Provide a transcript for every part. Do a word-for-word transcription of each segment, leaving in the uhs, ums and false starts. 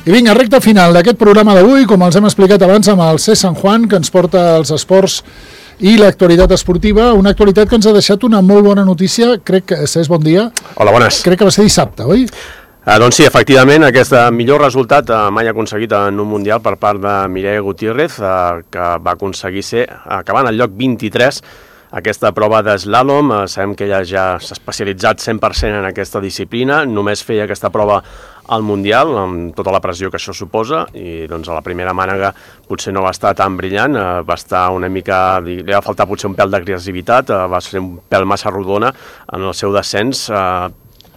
I vinga, recta final d'aquest programa d'avui, com els hem explicat abans amb el C. San Juan, que ens porta els esports i l'actualitat esportiva, una actualitat que ens ha deixat una molt bona notícia, crec que, Cés, bon dia. Hola, bones. Crec que va ser dissabte, oi? Uh, doncs sí, efectivament, aquest millor resultat uh, mai aconseguit en un Mundial per part de Mireia Gutiérrez, uh, que va aconseguir ser, acabant al lloc vint-i-tres, aquesta prova d'eslàlom. Uh, sabem que ella ja s'ha especialitzat cent per cent en aquesta disciplina, només feia aquesta prova al Mundial, amb tota la pressió que això suposa, i doncs a la primera mànega potser no va estar tan brillant, uh, va estar una mica, li va faltar potser un pèl d'agressivitat, uh, va ser un pèl massa rodona en el seu descens, uh,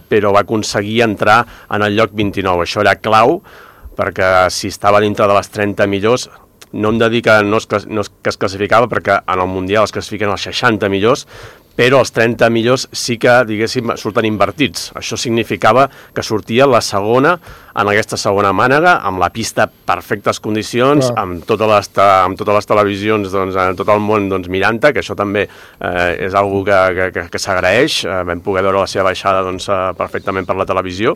però va aconseguir entrar en el lloc vint-i-nou. Això era clau, perquè si estava dintre de les trenta millors, no hem de dir que no es, no es, que es classificava, perquè en el Mundial es classifiquen els seixanta millors, però els trenta millors sí que, diguéssim, surten invertits. Això significava que sortia la segona en aquesta segona mànega, amb la pista perfectes condicions, wow. amb, totes les, amb totes les televisions, doncs, en tot el món doncs, mirant-te, que això també eh, és una que, que, que, que s'agraeix. Eh, vam poder veure la seva baixada doncs, perfectament per la televisió.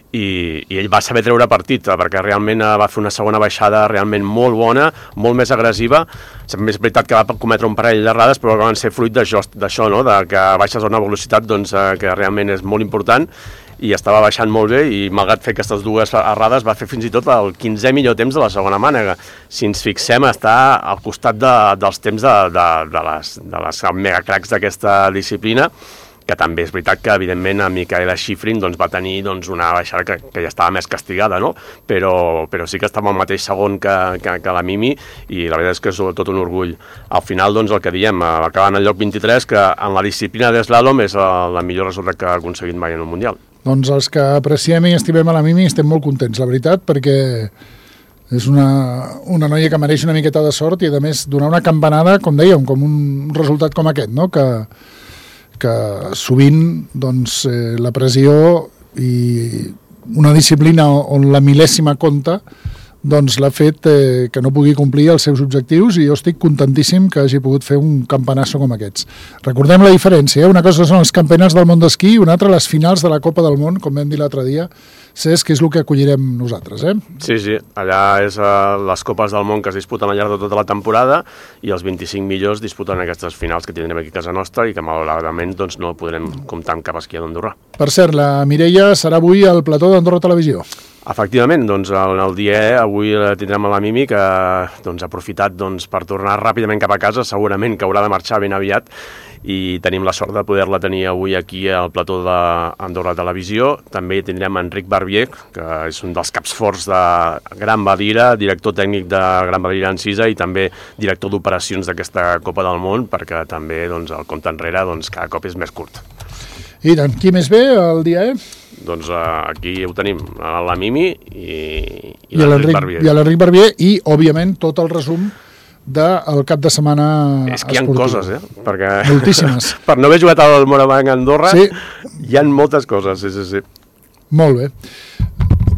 I, i ell va saber treure partit, perquè realment va fer una segona baixada realment molt bona, molt més agressiva. També és veritat que va cometre un parell d'errades, però van ser fruit d'això, no? De que baixes a una velocitat doncs, que realment és molt important, i estava baixant molt bé, i malgrat fer aquestes dues errades va fer fins i tot el quinzè millor temps de la segona mànega. Si ens fixem, està al costat de, dels temps de, de, de les, de les megacracs d'aquesta disciplina, que també és veritat que, evidentment, a Micaela Shiffrin doncs, va tenir doncs, una baixada que, que ja estava més castigada, no? però, però sí que estava al mateix segon que, que, que la Mimi, i la veritat és que és tot un orgull. Al final, doncs, el que diem, acabant al lloc vint-i-tres, que en la disciplina d'eslàlom és el, el millor resultat que ha aconseguit mai en un Mundial. Doncs els que apreciem i estimem a la Mimi estem molt contents, la veritat, perquè és una, una noia que mereix una miqueta de sort i, a més, donar una campanada, com dèiem, com un resultat com aquest, no? que que sovint doncs, eh, la pressió i una disciplina on la mil·lèsima compta doncs l'ha fet eh, que no pugui complir els seus objectius, i jo estic contentíssim que hagi pogut fer un campanasso com aquests. Recordem la diferència, eh? Una cosa són els campionats del món d'esquí i una altra les finals de la Copa del Món, com vam dir l'altre dia, Cés, que és el que acollirem nosaltres. Eh? Sí, sí, allà és uh, les Copes del Món que es disputen al llarg de tota la temporada, i els vint-i-cinc millors disputen aquestes finals que tindrem aquí a casa nostra i que malauradament doncs, no podrem comptar amb cap esquí d'Andorra. Per cert, la Mireia serà avui al plató d'Andorra Televisió. Efectivament, doncs, en el dia E avui tindrem a la Mimi, que doncs, ha aprofitat doncs, per tornar ràpidament cap a casa, segurament que haurà de marxar ben aviat, i tenim la sort de poder-la tenir avui aquí al plató d'Andorra Televisió. També tindrem Enric Barbier, que és un dels caps forts de Gran Valira, director tècnic de Gran Valira Encisa i també director d'operacions d'aquesta Copa del Món, perquè també doncs, el compte enrere doncs, cada cop és més curt. I tant, qui més ve el dia E? Doncs uh, aquí ho tenim, la Mimi i, i, I l'Enric Barbier. I l'Enric Barbier i, òbviament, tot el resum del cap de setmana esportiu. És que hi ha coses, eh? Perquè, moltíssimes. Per no haver jugat al Morabanc a Andorra, sí. Hi ha moltes coses, sí, sí, sí. Molt bé.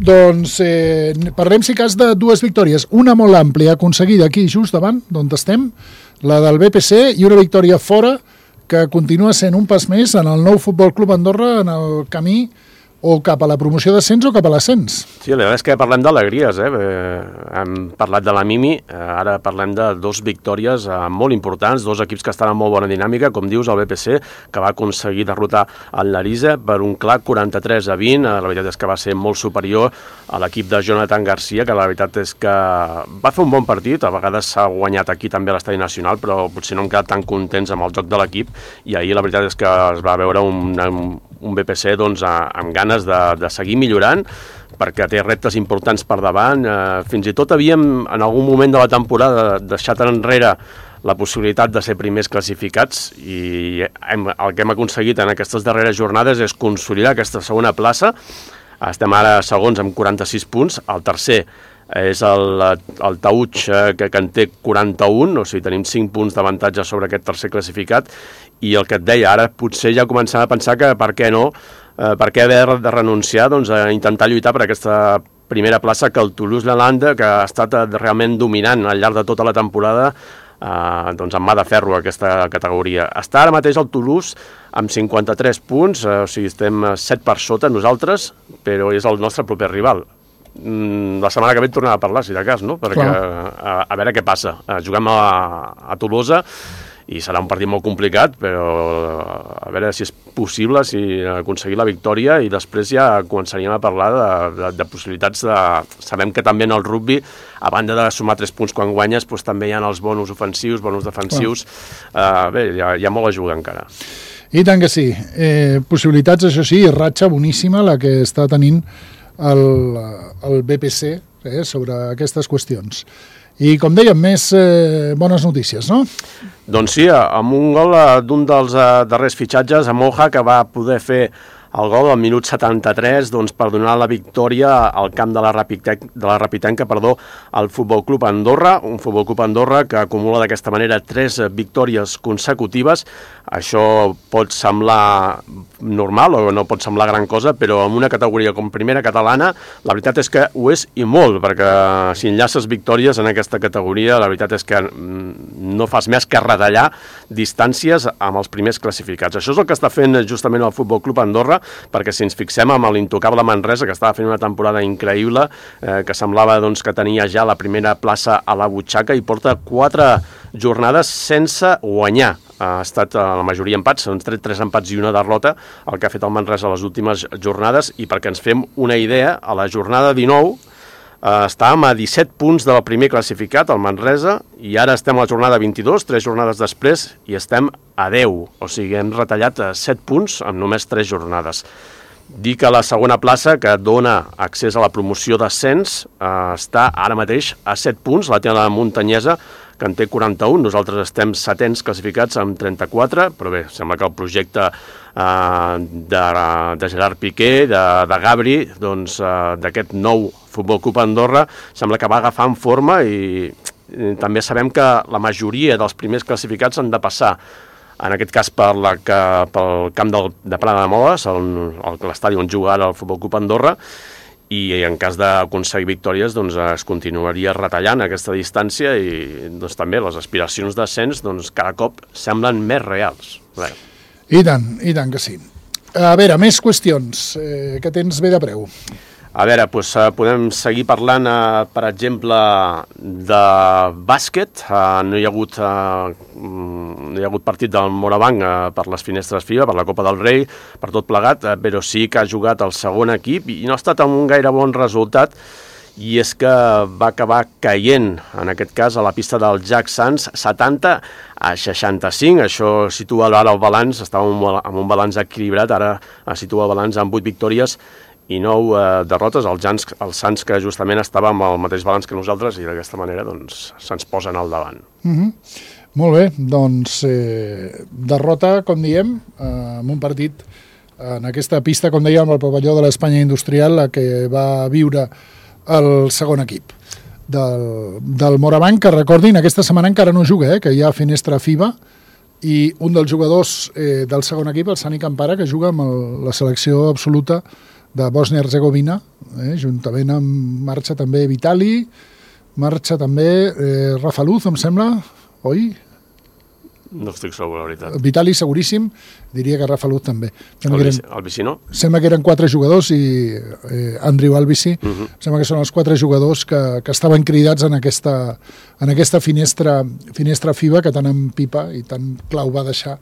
Doncs eh, parlem, si cas, de dues victòries. Una molt àmplia, aconseguida aquí, just davant, d'on estem, la del B P C, i una victòria fora, que continua sent un pas més en el nou Futbol Club Andorra, en el camí o cap a la promoció d'ascens o cap a l'ascens. Sí, la veritat és que parlem d'alegries, eh? eh? Hem parlat de la Mimi, eh, ara parlem de dos victòries eh, molt importants, dos equips que estan en molt bona dinàmica, com dius, el B P C, que va aconseguir derrotar el Larisa per un clar quaranta-tres a vint, eh, la veritat és que va ser molt superior a l'equip de Jonathan Garcia, que la veritat és que va fer un bon partit, a vegades s'ha guanyat aquí també a l'Estadi Nacional, però potser no hem quedat tan contents amb el joc de l'equip, i ahir la veritat és que es va veure un, un, un B P C doncs, amb ganes De, de seguir millorant, perquè té reptes importants per davant. Eh, fins i tot havíem, en algun moment de la temporada, deixat enrere la possibilitat de ser primers classificats, i hem, el que hem aconseguit en aquestes darreres jornades és consolidar aquesta segona plaça. Estem ara segons amb quaranta-sis punts, el tercer és el, el Tauig, que, que en té quaranta-un, o sigui, tenim cinc punts d'avantatge sobre aquest tercer classificat, i el que et deia, ara potser ja començem a pensar que per què no, eh, per què haver de renunciar doncs, a intentar lluitar per aquesta primera plaça que el Toulouse-Lalande, que ha estat realment dominant al llarg de tota la temporada, eh, doncs amb mà de ferro aquesta categoria. Està ara mateix el Toulouse amb cinquanta-tres punts, eh, o sigui, estem set per sota nosaltres, però és el nostre proper rival. la setmana que ve tornem a parlar, si de cas, no? Perquè a, a veure què passa. Juguem a, a Tolosa i serà un partit molt complicat, però a veure si és possible, si aconseguir la victòria, i després ja començaríem a parlar de, de, de possibilitats de... Sabem que també en el rugby, a banda de sumar tres punts quan guanyes, doncs també hi ha els bonus ofensius, bonus defensius. Uh, bé, hi ha, hi ha molt a jugar encara. I tant que sí. Eh, possibilitats, això sí, ratxa boníssima la que està tenint el, el B P C eh, sobre aquestes qüestions. I, com dèiem, més eh, bones notícies, no? Doncs sí, amb un gol d'un dels eh, darrers fitxatges, a Moja, que va poder fer el gol al minut setanta-tres doncs, per donar la victòria al camp de la, Rapitenca, de la Rapitenca perdó, al Futbol Club Andorra, un Futbol Club Andorra que acumula d'aquesta manera tres victòries consecutives. Això pot semblar normal o no pot semblar gran cosa, però en una categoria com primera catalana, la veritat és que ho és i molt, perquè si enllaces victòries en aquesta categoria, la veritat és que no fas més que retallar distàncies amb els primers classificats. Això és el que està fent justament el Futbol Club Andorra, perquè si ens fixem amb l'intocable Manresa, que estava fent una temporada increïble, eh, que semblava doncs, que tenia ja la primera plaça a la butxaca i porta quatre jornades sense guanyar. Ha estat a la majoria empats, s'han tret tres empats i una derrota, el que ha fet el Manresa a les últimes jornades, i perquè ens fem una idea, a la jornada dinou eh, estàvem a disset punts del primer classificat, el Manresa, i ara estem a la jornada vint-i-dos, tres jornades després, i estem a deu, o sigui, hem retallat set punts en només tres jornades. Dir que la segona plaça, que dona accés a la promoció d'ascens, eh, està ara mateix a set punts, la té la Muntanyesa, que en té quaranta-un, nosaltres estem setens classificats amb trenta-quatre, però bé, sembla que el projecte eh, de, de Gerard Piqué, de, de Gabri, doncs, eh, d'aquest nou Futbol Club Andorra, sembla que va agafant forma i, i també sabem que la majoria dels primers classificats han de passar, en aquest cas per la, que, pel camp del, de Prada de Moles, l'estadi on juga ara el Futbol Club Andorra, i en cas d'aconseguir victòries doncs, es continuaria retallant aquesta distància i doncs, també les aspiracions d'ascens doncs, cada cop semblen més reals. Bé. I tant, i tant que sí. A veure, més qüestions eh, que tens bé de preu. A veure, doncs, podem seguir parlant, eh, per exemple, de bàsquet. Eh, no hi ha hagut, eh, no hi ha hagut partit del Morabanc eh, per les finestres FIBA, per la Copa del Rei, per tot plegat, eh, però sí que ha jugat el segon equip i no ha estat amb un gaire bon resultat, i és que va acabar caient, en aquest cas, a la pista del Jack Sands, setanta a seixanta-cinc. Això situa ara el balanç, estava amb un balanç equilibrat, ara situa el balanç amb vuit victòries i nou eh, derrotes, els Jans, els Sants, que justament estava amb el mateix balanç que nosaltres, i d'aquesta manera doncs, se'ns posen al davant. Mm-hmm. Molt bé, doncs eh, derrota, com diem, eh, en un partit en aquesta pista, com dèiem, al pavelló de l'Espanya Industrial, la que va viure el segon equip del, del Morabanc, que recordin, aquesta setmana encara no juga, eh, que hi ha finestra FIBA, i un dels jugadors eh, del segon equip, el Sani Campara, que juga amb el, la selecció absoluta de Bòsnia-Herzegovina, eh, juntament amb marxa també Vitali, marxa també eh, Rafa Luz, em sembla, oi? No estic segur, la veritat. Vitali seguríssim, diria que Rafa Luz també. El, eren, el Vici no? Sembla que eren quatre jugadors i eh, Andriu Albici, uh -huh. Sembla que són els quatre jugadors que, que estaven cridats en aquesta, en aquesta finestra, finestra FIBA que tant en pipa i tan clau va deixar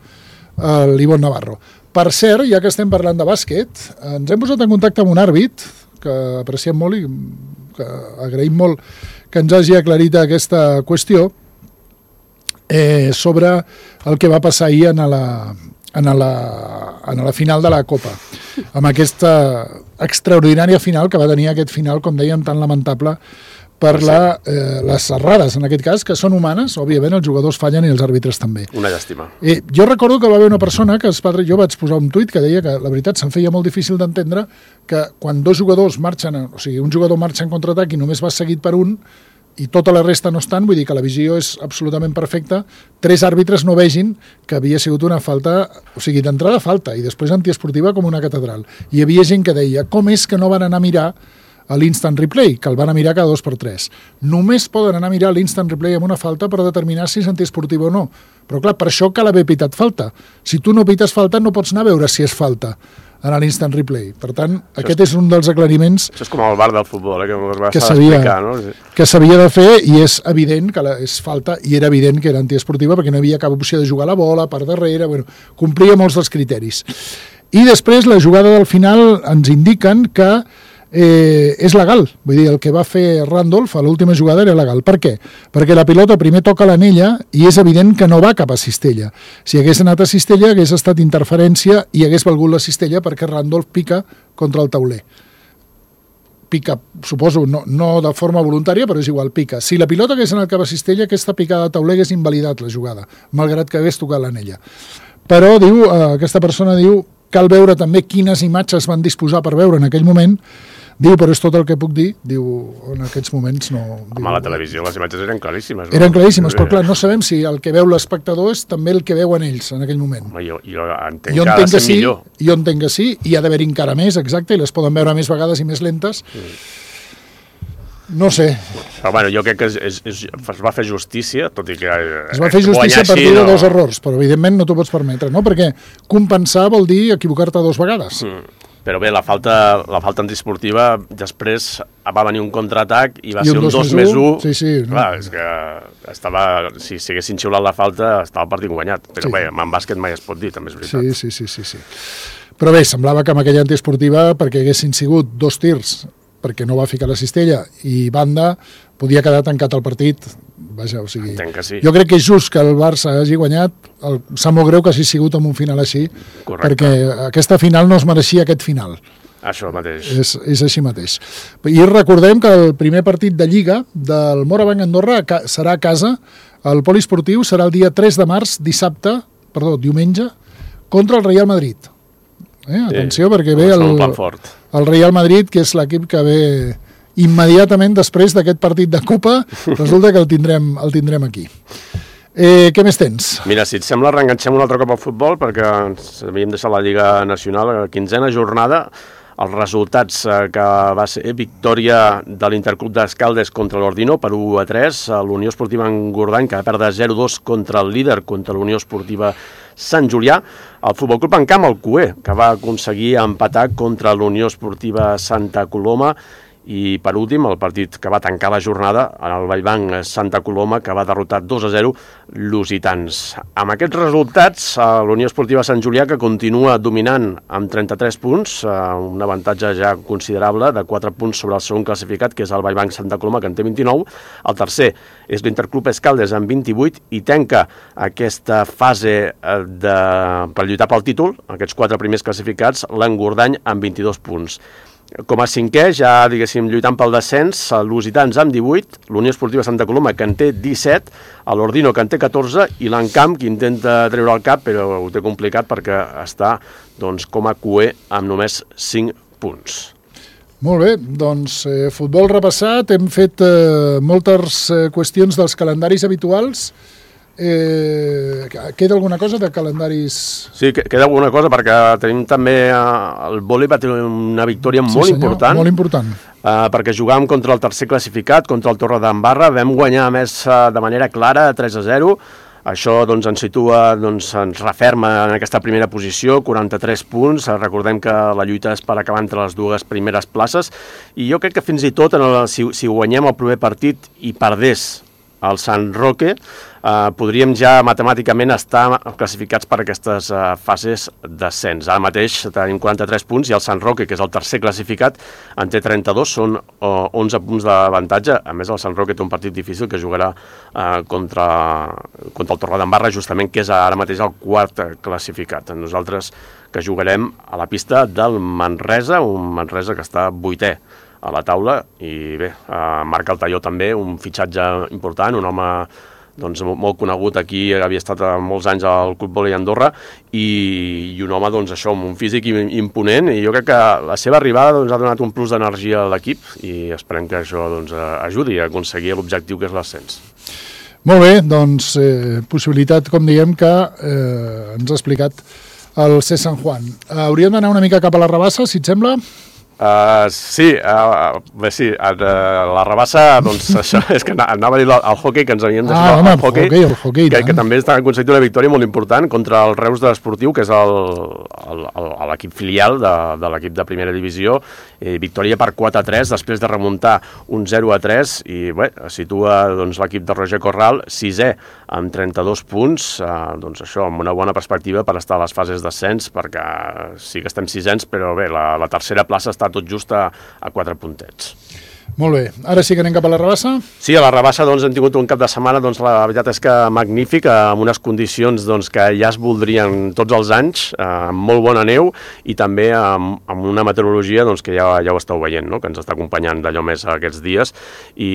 eh, l'Ivon Navarro. Per cert, ja que estem parlant de bàsquet, ens hem posat en contacte amb un àrbit que apreciem molt i que agraïm molt que ens hagi aclarit aquesta qüestió eh, sobre el que va passar ahir en la, en la, en la final de la Copa, amb aquesta extraordinària final que va tenir aquest final, com dèiem, tan lamentable per la, eh, les errades, en aquest cas, que són humanes, òbviament els jugadors fallen i els àrbitres també. Una llàstima. Eh, jo recordo que va haver una persona que es va, jo vaig posar un tuit que deia que la veritat se'm feia molt difícil d'entendre que quan dos jugadors marxen, o sigui, un jugador marxa en contraatac i només va seguit per un i tota la resta no estan, vull dir que la visió és absolutament perfecta, tres àrbitres no vegin que havia sigut una falta, o sigui, d'entrada falta i després antiesportiva com una catedral. Hi havia gent que deia, com és que no van anar a mirar a l'instant replay, que el van a mirar cada dos per tres. Només poden anar a mirar l'instant replay amb una falta per determinar si és antiesportiva o no. Però clar, per això cal haver pitat falta. Si tu no pites falta no pots anar a veure si és falta. en l'instant replay. Per tant, això aquest és, és un dels aclariments... Això és com el bar del futbol, eh, que us vas que s'havia no? que s'havia de fer, i és evident que la, és falta, i era evident que era antiesportiva perquè no hi havia cap opció de jugar la bola per darrere, bueno, complia molts dels criteris. I després la jugada del final ens indiquen que Eh, és legal, vull dir, el que va fer Randolph a l'última jugada era legal. Per què? Perquè la pilota primer toca l'anella i és evident que no va cap a cistella. Si hagués anat a cistella hagués estat interferència i hagués valgut la cistella perquè Randolph pica contra el tauler. Pica, suposo, no, no de forma voluntària, però és igual, pica. Si la pilota hagués anat cap a cistella, aquesta picada de tauler hagués invalidat la jugada, malgrat que hagués tocat l'anella. Però, diu, eh, aquesta persona diu, cal veure també quines imatges van disposar per veure en aquell moment. Diu, però és tot el que puc dir. Diu, en aquests moments no... Home, diu, a la televisió les imatges eren claríssimes. No? Eren claríssimes, però clar, no sabem si el que veu l'espectador és també el que veuen ells en aquell moment. Home, jo, jo entenc jo que ha de ser sí, millor. Jo entenc que sí, i ha d'haver encara més, exacte, i les poden veure més vegades i més lentes. Mm. No sé. Però bueno, jo crec que és, és, és, es va fer justícia, tot i que... Es va fer justícia a partir de no... dos errors, però evidentment no t'ho pots permetre, no? Perquè compensar vol dir equivocar-te dues vegades. Mm. Però bé, la falta, la falta antiesportiva, després va venir un contraatac i va I un ser un dos més u. Sí, sí. No. Clar, és que estava, si s'haguessin xiulat la falta, estava el partit guanyat. Però sí. Bé, en bàsquet mai es pot dir, també és veritat. Sí, sí, sí, sí, sí. Però bé, semblava que amb aquella antiesportiva, perquè haguessin sigut dos tirs, perquè no va ficar la cistella, i banda, podia quedar tancat el partit. Vaja, o sigui, entenc que sí. Jo crec que és just que el Barça hagi guanyat, el, sap molt greu que hagi sigut amb un final així, correcte, perquè aquesta final no es mereixia aquest final. Això mateix. És, és així mateix. I recordem que el primer partit de Lliga del Morabanc Andorra serà a casa, el poliesportiu serà el dia tres de març, dissabte, perdó, diumenge, contra el Real Madrid. Eh? Atenció, sí, perquè ve el, el Real Madrid, que és l'equip que ve immediatament després d'aquest partit de Copa, resulta que el tindrem, el tindrem aquí. Eh, què més tens? Mira, si et sembla, reenganxem un altre cop al futbol, perquè ens havíem deixat la Lliga Nacional, la quinzena jornada, els resultats que va ser victòria de l'Interclub d'Escaldes contra l'Ordino per u a tres, l'Unió Esportiva Engordany, que va perdre zero a dos contra el líder, contra l'Unió Esportiva Sant Julià, el Futbol Club Encamp, el Cué, que va aconseguir empatar contra l'Unió Esportiva Santa Coloma, i per últim el partit que va tancar la jornada, el Vallbanc Santa Coloma, que va derrotar dos a zero l'Usitans. Amb aquests resultats, l'Unió Esportiva Sant Julià, que continua dominant amb trenta-tres punts, un avantatge ja considerable de quatre punts sobre el segon classificat, que és el Vallbanc Santa Coloma, que en té vint-i-nou. El tercer és l'Interclub Escaldes amb vint-i-vuit i tanca aquesta fase de, per lluitar pel títol, aquests quatre primers classificats, l'Engordany amb vint-i-dos punts. Com a cinquè, ja diguéssim, lluitant pel descens, l'Usitans amb divuit, l'Unió Esportiva Santa Coloma, que en té disset, l'Ordino, que en té catorze, i l'Encamp, que intenta treure el cap, però ho té complicat perquè està doncs, com a cué amb només cinc punts. Molt bé, doncs eh, futbol repassat, hem fet eh, moltes eh, qüestions dels calendaris habituals. Eh, queda alguna cosa de calendaris? Sí, queda alguna cosa perquè tenim també el vòlei va tenir una victòria sí, molt senyor, important, molt important. Uh, perquè jugàvem contra el tercer classificat, contra el Torredembarra, vam guanyar més uh, de manera clara, tres a zero. Això doncs, ens situa, doncs, ens referma en aquesta primera posició, quaranta-tres punts. Recordem que la lluita és per acabar entre les dues primeres places, i jo crec que fins i tot en el, si, si guanyem el primer partit i perdés el Sant Roque, eh, podríem ja matemàticament estar classificats per aquestes eh, fases d'ascens. Ara mateix tenim quaranta-tres punts i el Sant Roque, que és el tercer classificat, en té trenta-dos, són eh, onze punts d'avantatge. A més, el Sant Roque té un partit difícil que jugarà eh, contra, contra el Torredembarra, justament, que és ara mateix el quart classificat. Nosaltres que jugarem a la pista del Manresa, un Manresa que està vuitè a la taula, i bé, eh, Marc Altaió també, un fitxatge important, un home doncs, molt conegut aquí, havia estat molts anys al Club Vòlei Andorra, i, i un home doncs, això, amb un físic imponent, i jo crec que la seva arribada doncs, ha donat un plus d'energia a l'equip, i esperem que això doncs, ajudi a aconseguir l'objectiu que és l'ascens. Molt bé, doncs eh, possibilitat, com diguem, que eh, ens ha explicat el C. San Juan. Eh, hauríem d'anar una mica cap a la rebassa, si et sembla? Uh, sí, uh, bé, sí, uh, la rebassa, doncs això, és que anava a dir el hockey, que ens havíem de ah, home, el hockey, hockey, el hockey que, que també està aconseguit una victòria molt important contra el Reus de l'Esportiu, que és l'equip filial de, de l'equip de primera divisió, eh, victòria per quatre a tres, després de remuntar un zero a tres, i bé, situa doncs, l'equip de Roger Corral sisè amb trenta-dos punts, eh, doncs això, amb una bona perspectiva per estar a les fases d'ascens, perquè sí que estem sisens, però bé, la, la tercera plaça està tot just a, a quatre puntets. Molt bé. Ara sí que anem cap a la rebassa? Sí, a la rebassa doncs, hem tingut un cap de setmana, doncs, la veritat és que magnífic, amb unes condicions doncs, que ja es voldrien tots els anys, eh, amb molt bona neu i també amb, amb una meteorologia doncs, que ja, ja ho esteu veient, no? Que ens està acompanyant d'allò més aquests dies, i,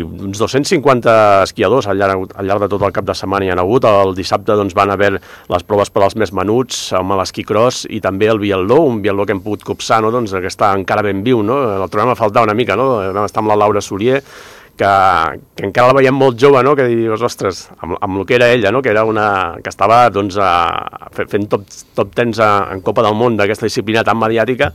i uns dos-cents cinquanta esquiadors al llarg, al llarg de tot el cap de setmana hi ha hagut. El dissabte doncs, van haver les proves per als més menuts, amb l'esquí cross i també el biatló, un biatló que hem pogut copsar, no? Doncs, que està encara ben viu, no? El trobem a faltar una mica, no? Vam estar amb la Laura Solier, que, que encara la veiem molt jove, no? Que dius, ostres, amb, amb el que era ella, no? Que era una que estava doncs, a, fent top, top tens a, en Copa del Món d'aquesta disciplina tan mediàtica,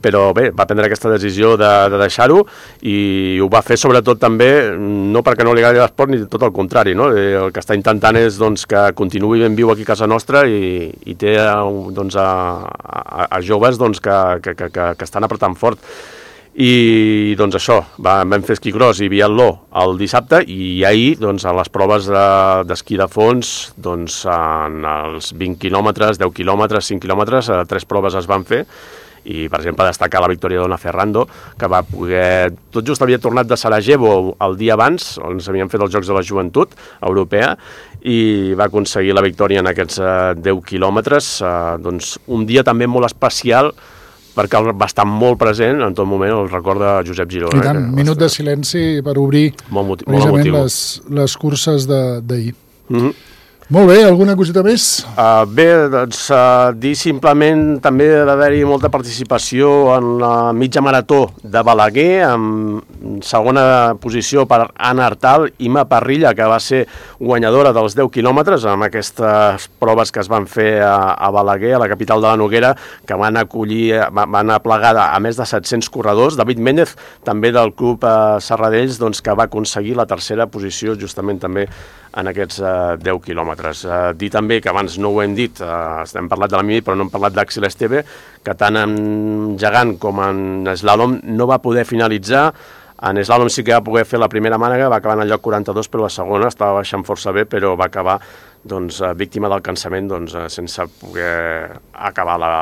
però bé, va prendre aquesta decisió de, de deixar-ho i ho va fer sobretot també, no perquè no li agradi l'esport, ni tot el contrari, no? El que està intentant és doncs, que continuï ben viu aquí a casa nostra i, i té doncs, a, a, a joves doncs, que, que, que, que estan apretant fort. I doncs això, va, vam fer esquí cross i biatló el dissabte i ahir doncs, a les proves d'esquí de fons doncs, en els vint quilòmetres, deu quilòmetres, cinc quilòmetres, tres proves es van fer i per exemple destacar la victòria d'Ona Ferrando, que va poder, tot just havia tornat de Sarajevo el dia abans, on s'havien fet els Jocs de la Joventut Europea, i va aconseguir la victòria en aquests deu quilòmetres, eh, doncs un dia també molt especial perquè va estar molt present en tot moment el record de Josep Giró. I tant, eh, minut de silenci per obrir molt motiu, precisament molt les, les curses d'ahir. Mm-hmm. Molt bé, alguna coseta més? Uh, bé, doncs uh, dir simplement també d'haver-hi molta participació en la mitja marató de Balaguer, amb segona posició per Anna Artal, Ima Parrilla, que va ser guanyadora dels deu quilòmetres amb aquestes proves que es van fer a, a Balaguer, a la capital de la Noguera, que van acollir, van aplegar a més de set-cents corredors. David Méndez, també del club uh, Serradells, doncs, que va aconseguir la tercera posició justament també en aquests uh, deu quilòmetres. Uh, dir també que abans no ho hem dit, uh, hem parlat de la mini, però no hem parlat d'Axel Esteve, que tant en gegant com en slalom no va poder finalitzar. En slalom sí que va poder fer la primera mànega, va acabar en el lloc quaranta-dos, però la segona estava baixant força bé, però va acabar doncs, víctima del cansament doncs, sense poder acabar la,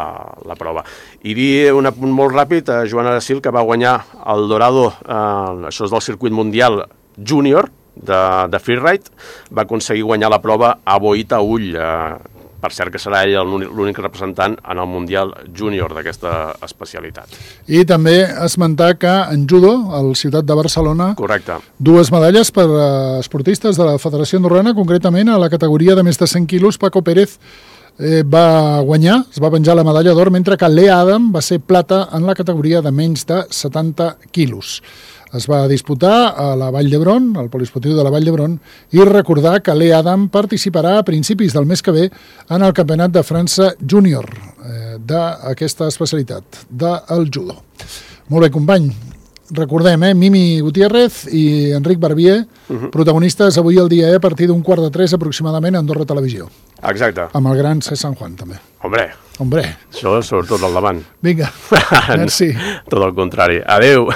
la prova. I dir un apunt molt ràpid, a Joana Aracil, que va guanyar el Dorado, eh, això és del circuit mundial júnior, de, de freeride, va aconseguir guanyar la prova a Boita Ull, eh, per cert que serà ell l'únic representant en el Mundial Júnior d'aquesta especialitat. I també esmentar que en judo, al Ciutat de Barcelona, correcte, dues medalles per a esportistes de la Federació Andorrana, concretament a la categoria de més de cent quilos, Paco Pérez eh, va guanyar, es va penjar la medalla d'or, mentre que Lea Adam va ser plata en la categoria de menys de setanta quilos. Es va disputar a la Vall d'Hebron, al poliesportiu de la Vall d'Hebron, i recordar que Lea Adam participarà a principis del mes que ve en el Campionat de França Júnior eh, d'aquesta especialitat, del judo. Molt bé, company. Recordem, eh, Mimi Gutiérrez i Enric Barbier, uh-huh. protagonistes avui al dia E a partir d'un quart de tres aproximadament a Andorra Televisió. Exacte. Amb el gran C. San Juan, també. Hombre, Hombre. Això sobretot al davant. Vinga, merci. Tot el contrari. Adéu.